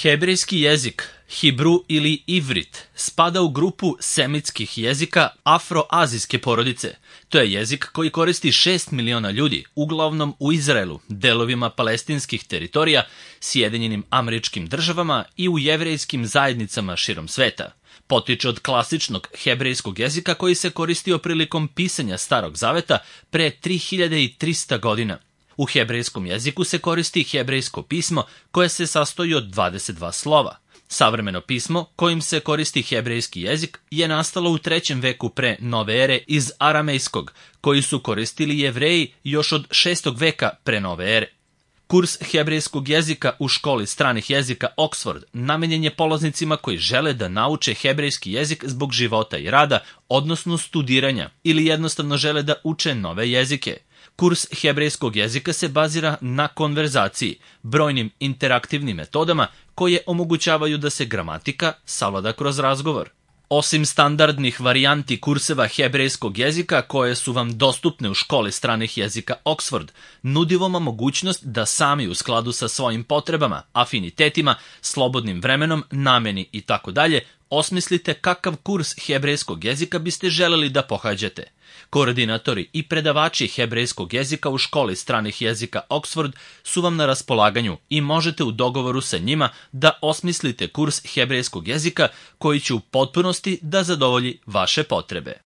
Hebrejski jezik, Hibru ili Ivrit, spada u grupu semitskih jezika afroazijske porodice. To je jezik koji koristi 6 miliona ljudi, uglavnom u Izraelu, delovima palestinskih teritorija, Sjedinjenim Američkim Državama i u jevrejskim zajednicama širom sveta. Potiče od klasičnog hebrejskog jezika koji se koristio prilikom pisanja Starog Zaveta pre 3300 godina. U hebrejskom jeziku se koristi hebrejsko pismo koje se sastoji od 22 slova. Savremeno pismo kojim se koristi hebrejski jezik je nastalo u 3. veku pre nove ere iz aramejskog, koji su koristili Jevreji još od 6. veka pre nove ere. Kurs hebrejskog jezika u školi stranih jezika Oxford namenjen je polaznicima koji žele da nauče hebrejski jezik zbog života i rada, odnosno studiranja, ili jednostavno žele da uče nove jezike. Kurs hebrejskog jezika se bazira na konverzaciji, brojnim interaktivnim metodama koje omogućavaju da se gramatika savlada kroz razgovor. Osim standardnih varijanti kurseva hebrejskog jezika koje su vam dostupne u školi stranih jezika Oxford, nudi vam mogućnost da sami u skladu sa svojim potrebama, afinitetima, slobodnim vremenom, nameni itd. Osmislite kakav kurs hebrejskog jezika biste želeli da pohađate. Koordinatori i predavači hebrejskog jezika u školi stranih jezika Oxford su vam na raspolaganju i možete u dogovoru sa njima da osmislite kurs hebrejskog jezika koji će u potpunosti da zadovolji vaše potrebe.